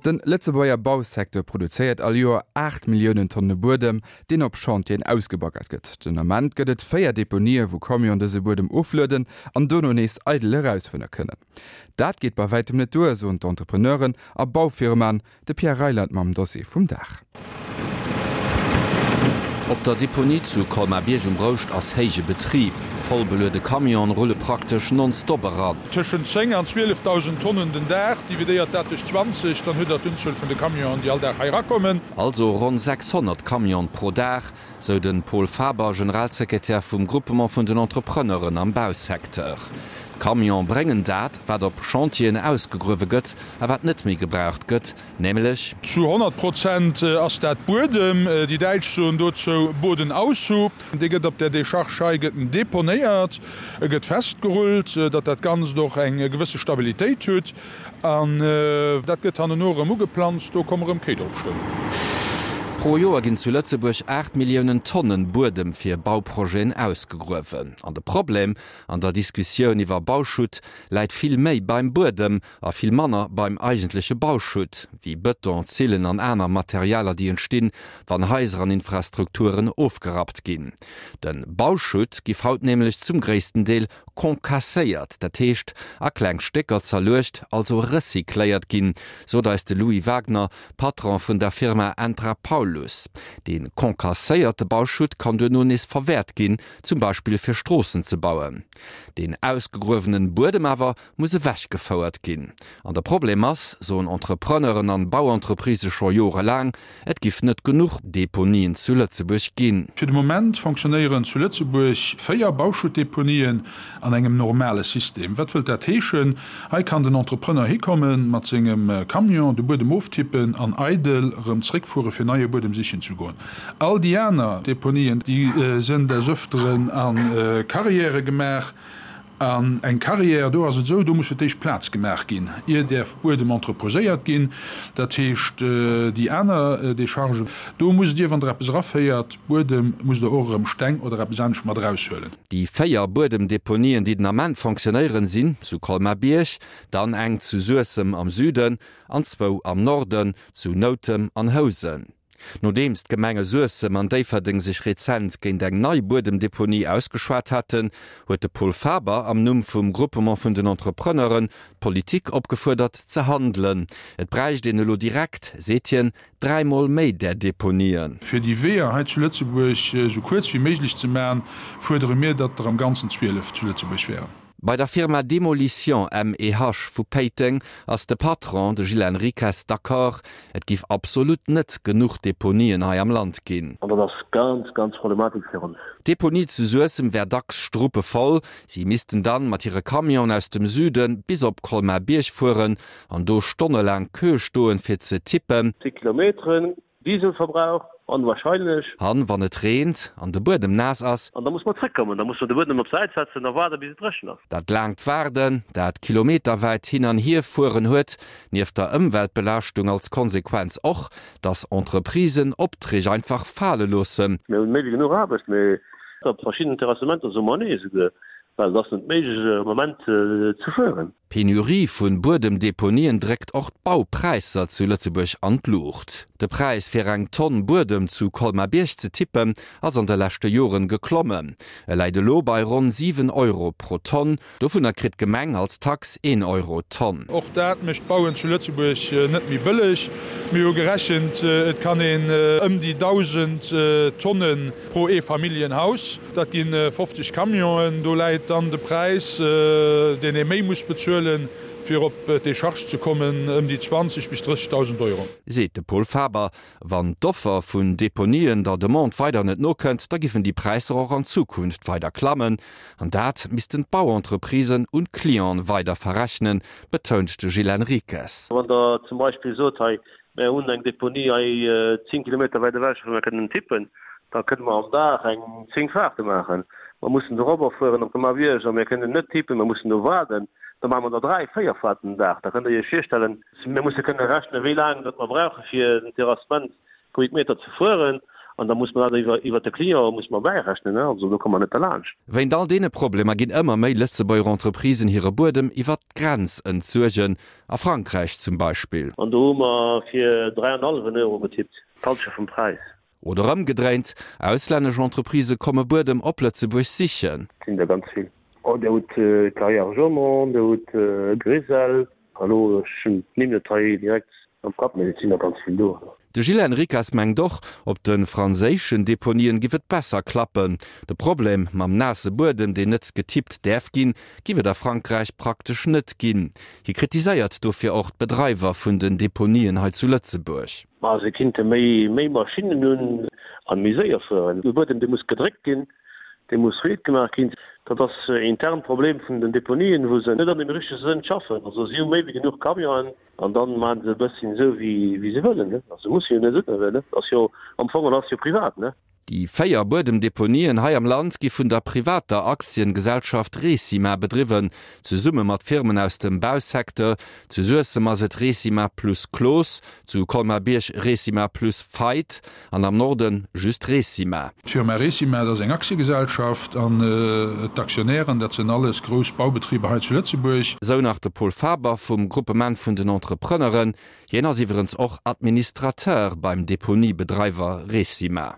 De Lëtzebuerger Bausecteur produzéiert all Joer 8 Milliounen Tonne Buedem, deen op Chantieren ausgebaggert gëtt. Den Ament gëtt et 4 Deponië wou Camionen dëse Buedem oflueden an dono nees eidel erausfuere kënnen. Dat geet bei wäitem net duer, soen d'Entrepreneuren a Baufirmaen. De Pierre Reyland mam Dossier vum Dag. Op der Deponie zu Colmar-Bierg um Rouscht ass héije Betrib. Voll beluede Camionen rulle praktesch nonstop eran. Tëschent 10 an 12.000 Tonnen den Dag. Dividéiert dat duerch 20, dann hutt der d'Unzuel vun de Camionen, déi all Dag hei erakommen. Also ronn 600 Camionen pro Dag, sou de Paul Faber, Generalsekretär vum Groupement vun den Entrepreneuren am Bausecteur. D'Camione bréngen dat, wat op Chantieren ausgegruewe gëtt a wat net méi gebraucht gëtt, nämlech. Zu 100 Prozent ass dat Buedem. Déi Däitsch soen dozou Bodenaushub. Dee gëtt op där Decharge hei gëtt en deponéiert, e gëtt festgerullt, datt dat Ganzt och eng gewësse Stabilitéit hutt. An dat gëtt hanneno erëm ugeplanzt, do komme rëm Kéi drop stoen. Pro Joer ginn zu Lëtzebuerg 8 Milliounen Tonnen Buedem fir Bauprojeten ausgegruewen. An de Problem an der Diskussioun iwwer Bauschutt läit vill méi beim Buedem a vill manner beim eigentleche Bauschutt, wéi Bëton, Zillen an aner Materialer, déi entstinn, wann Haiser an Infrastrukturen ofgerappt ginn. De Bauschutt giff haut nämlech zum gréissten Deel Concasséiert, dat heescht a kleng Stécker zerluecht, also recycléiert ginn, sot eis de Louis Wagner, Patron vun der Firma Entra Paulus. Dee concasséierte Bauschutt kann duerno nees verwäert ginn, zum Beispill fir Stroossen ze bauen. Deen ausgegruewenen Buedem awer muss ewechgefouert ginn. An de Problem ass, soen Entrepreneuren an Bauentreprisë scho jorelaang, Et giff net genuch Deponien zu Lëtzebuerg ginn. Fir de Moment fonctionnéieren zu Lëtzebuerg 4 Bauschuttdeponien an engem normale System. Wat wëllt dat heeschen? Hei kann den Entrepreneur hikommen mat sengem Camion, de Buedem oftippen an eidel erëm zréckfuere fir neie Buedem sichen ze goen. All déi aner Deponien, déi sënn des Öfteren a Carrièrë gemaach. An eng Carrière, do ass et esou, do muss fir d'éischt Plaz gemaach ginn, ier däerf Buedem entreposéiert ginn. Dat heescht, déi aner Decharge, do musst Dir, wann Der eppes eraféiert, Buedem, musst Der och erëm Steng oder eppes anescht mat eraushuelen. Déi 4 Buedemdeponien, déi den Ament fonctionnéieren, sinn zu Colmar-Bierg, dann eng zu Suessem am Süden an zwou am Norden, zu Noutem an Housen. Nodeems d'Gemenge Suessem an Déifferdeng sech rezent géint eng nei Buedemdeponie ausgeschwat haten, huet de Paul Faber am Numm vum Groupement vun den Entrepreneuren d'Politik opgefuerdert ze handelen. Et bräicht een elo direkt, seet hien, dräimol méi där Deponien. Fir déi Weeër hei zu Lëtzebuerg esou kuerz wéi méiglech ze maachen, fuerdere mir, datt der am Ganzen 12 zu Lëtzebuerg wären. Bei der Firma Demolition MEH vu Péiteng ass de Patron, de Gilles Henriques, d'accord, et giff absolut net genuch Deponien hei am Land ginn. An dat ass ganz, ganz problematesch fir ons. D'Deponie zu Suessem wär dacks struppevoll. Si missten dann mat hire Camionen aus dem Süde bis op Colmar-Bierg fueren an do stonnelaang Queue stoen, fir ze tippen. Zig Kilometeren Dieselverbrauch, onwahrscheinlech. An wann et reent an de Buedem naass ass. An da muss mer zréckkommen, da muss mer de Buedem op d'Säit setzen a waarden, bis et dréchen ass. Dat laangt Waarden, dat kilometerwäit Hin an Hierfueren huet nieft der Ëmweltbelaaschtung als Konsequenz och, dass Entreprisen Opträg einfach fale loossen. Mir hunn méi wéi genuch Aarbecht, mee op verschiddenen Terrassementer soe mer nee esouguer, well et ass net méiglech am Moment ze fueren. D'Penurie vun Buedemdeponien dréckt och d'Baupräisser zu Lëtzebuerg an d'Luucht. De Präis fir eng Tonn Buedem zu Colmar-Bierg ze tippen, ass an de leschte Joren geklommen. E läit elo bei ronn 7 Euro pro Tonn. Dovunner kritt d'Gemeng als Tax een Euro d'Tonn. Och dat mécht d'Bauen zu Lëtzebuerg net méi bëlleg. Mir hu gerechent, et kann een ëm déi 1.000 Tonne pro Eefamilljenhaus. Dat gi 50 Camionen. Do läit dann de Präis, deen ee méi muss bezuelen, fir op d'Décharge ze kommen, ëm déi 20 bis 30.000 Euro. Seet de Paul Faber. Wann d'Offer vun Deponien der Demande weider net nokënnt, da giffen déi Präisser och an Zukunft weider klammen. An dat missten d'Bauentreprisen un d'Clienten weider verrechnen, betount de Gilles Henriques. Wann Der zum Beispill sot, hei Mär hunn eng Deponie hei 10 Kilometer wäit ewech, wou mir kënnen tippen. Da kënne mer am Dag eng 10 Fahrte maachen. Mer mussen dorobber fueren op de Marwierg a mir kënnen net tippen, mer mussen do waarden. Da maache mer der 3, 4 Fahrten den Dag. Da kënnt Der Iech virstellen, mir musse kënne rechnen, wéi laang datt mer brauche fir den Terrassement Kubikmeter ze fueren. An da muss mer dat iwwer, iwwert de Client muss mer bäirechnen, ne. Also do komme mer net derlaanscht. Wéint all deene Problemer ginn ëmmer méi Lëtzebuerger Entreprisen hire Buedem iwwert d'Grenz entsuergen, a Frankräich zum Beispill. An do hu mer fir 3 an hallwen Euro getippt, d'Halschent vum Präis. Oder ëmgedréint, auslännesch Entreprisë komme Buedem op Lëtzebuerg sichen. Et sinn der ganz vill. Oh, Dir hutt Carrières Jaumont, Dir hutt Grisel, elo, ech hunn d'Nimm net hei direkt am Kapp, mee et sinn der ganz vill do. De Gilles Henriquez mengt och, op de franséischen Deponien giff et besser klappen. De Problem mam naasse Buedem, deen net getippt däerf ginn, giff et a Frankräich praktesch net ginn. Hie kritiséiert dofir och d'Bedreiwer vun den Deponien hei zu Lëtzebuerg. Ma se kinnte méi méi Maschinnen hunn an méi séier fueren. De Buedem dee muss gedréckt ginn, dee muss riit gemaach ginn. Dat ass e internt Problem vun den Deponien, wou se net an dem richtege Sënn schaffen. Also si hu méi wéi genuch Camionen an dann maachen se e bësschen esou wéi wéi se wëllen. Also musse jo net esou, ne? Ass jo am Fong an ass jo privat, ne? Déi 4 Buedemdeponien hei am Land gi vun der privater Aktiengesellschaft Recima bedriwwen, zesumme mat Firmen aus dem Bausecteur. Zu Suessem ass et Recima plus Cloos, zu Colmar-Bierg Recima plus Feidt an am Norden just Recima. D'Firma Recima, dat ass eng Aktiegesellschaft an d'Aktionären, dat sinn alles grouss Baubetriber hei zu Lëtzebuerg. Sou nach de Paul Faber vum Gruppement vun den Entrepreneuren. Hien ass iwwerens och Administrateur beim Deponiebedreiwer Recima.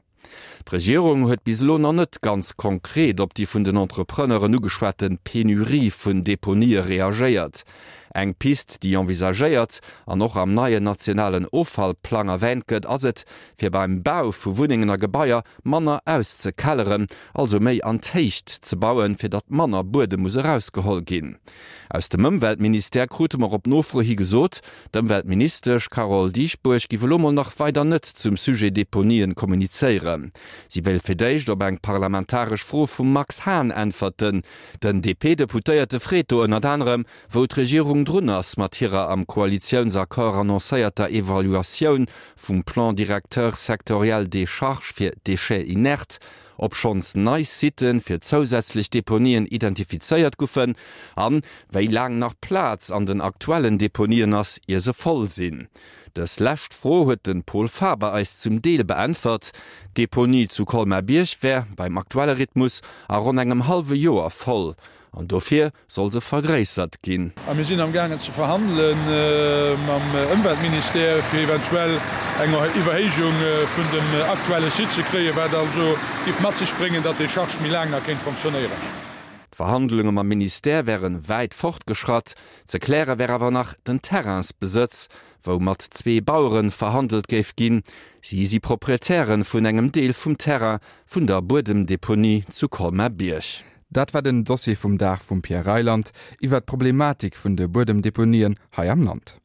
D'Regierung huet bis elo nach net ganz konkret op déi vun den Entrepreneuren ugeschwate Penurie vun Deponië reagéiert. Eng Pist, déi envisagéiert an och am neien nationalen Offallplang erwäänt gëtt, ass et, fir beim Bau vu Wunnengen a Gebaier manner auszekelleren, also méi an d'Héicht ze bauen, fir datt manner Buedem muss erausgeholl ginn. Aus dem Ëmweltministère krute mer op Nofro hi gesot, d'Ëmweltministesch Carole Dieschbourg giff elo mol nach weider net zum Sujet Deponien kommunizéieren. Si wéilt fir d'éischt op eng parlamentaresch Fro vum Max Hahn äntwerten. Den DP-Deputéierte freet do ënnert anerem, wou d'Regierung drun ass mat hirer am Koalitiounsaccord annoncéierter Evaluatioun vum Plan directeur sectoriel des charges fir déchets inertes, ob schonns nei Sitë fir zousätzlech Deponien identifizéiert guffen an wéi laang nach Plaz an den aktuellen Deponien ass, ier se voll sinn. Dës lescht Fro huet de Pol Faber eis zum Deel beäntwert. D'Deponie zu Colmar-Bierg wär beim aktuelle Rhythmus a ronn engem hallwe Joer voll. An dofir soll se vergréissert ginn. A mir sinn am gaangen ze verhandele mam Ëmweltministère, fir eventuell eng Iwwerhéijung vun dem aktuelle Site ze kréien, wat also giff mat sech bréngen, datt d'Décharge méi laang nach kéint fonctionnéieren. D'Verhandlunge mam Ministère wäre wäit fortgeschratt. Ze kläre wär awer nach den Terrainsbesëtz, wou mat zwee Bauere verhandelt géif ginn. Si si Proprietäre vun engem Deel vum Terrain vun der Buedemdeponie zu Colmar-Bierg. Dat war den Dossier vum Dag vum Pierre Reyland iwwer d'Problematik vun de Buedemdeponien hei am Land.